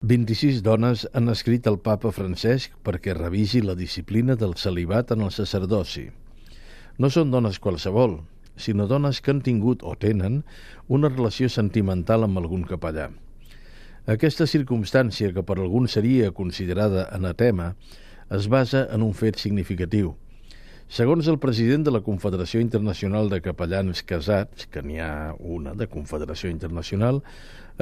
26 dones han escrit al papa Francesc perquè revisi la disciplina del celibat en el sacerdoci. No són dones qualsevol, sinó dones que han tingut o tenen una relació sentimental amb algun capellà. Aquesta circumstància, que per alguns seria considerada anatema, es basa en un fet significatiu. Segons el president de la Confederació Internacional de Capellans Casats, que n'hi ha una de Confederació Internacional,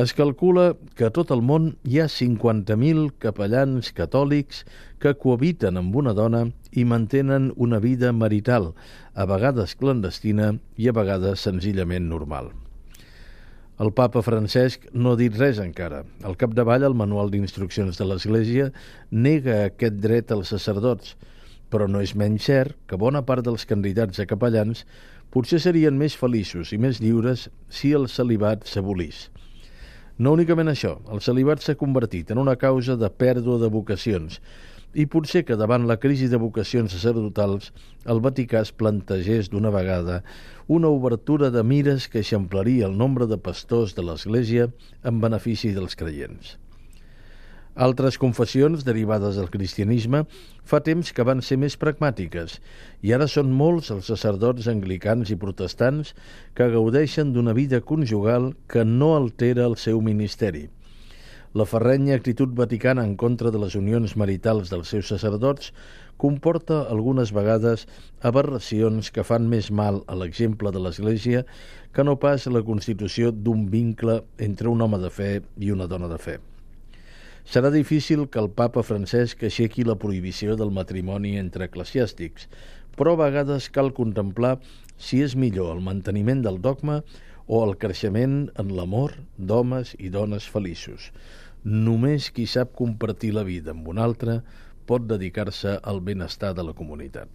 es calcula que a tot el món hi ha 50.000 capellans catòlics que cohabiten amb una dona i mantenen una vida marital, a vegades clandestina i a vegades senzillament normal. El papa Francesc no ha dit res encara. Al capdavall, el manual d'instruccions de l'Església nega aquest dret als sacerdots, però no és menys cert que bona part dels candidats a capellans potser serien més feliços i més lliures si el celibat s'abolís. No únicament això, el celibat s'ha convertit en una causa de pèrdua de vocacions i potser que davant la crisi de vocacions sacerdotals el Vaticà es plantegés d'una vegada una obertura de mires que eixamplaria el nombre de pastors de l'Església en benefici dels creients. Altres confessions derivades del cristianisme fa temps que van ser més pragmàtiques i ara són molts els sacerdots anglicans i protestants que gaudeixen d'una vida conjugal que no altera el seu ministeri. La ferrenya actitud vaticana en contra de les unions maritals dels seus sacerdots comporta algunes vegades aberracions que fan més mal a l'exemple de l'Església que no pas la constitució d'un vincle entre un home de fe i una dona de fe. Serà difícil que el papa Francesc aixequi la prohibició del matrimoni entre eclesiàstics, però a vegades cal contemplar si és millor el manteniment del dogma o el creixement en l'amor d'homes i dones feliços. Només qui sap compartir la vida amb un altre pot dedicar-se al benestar de la comunitat.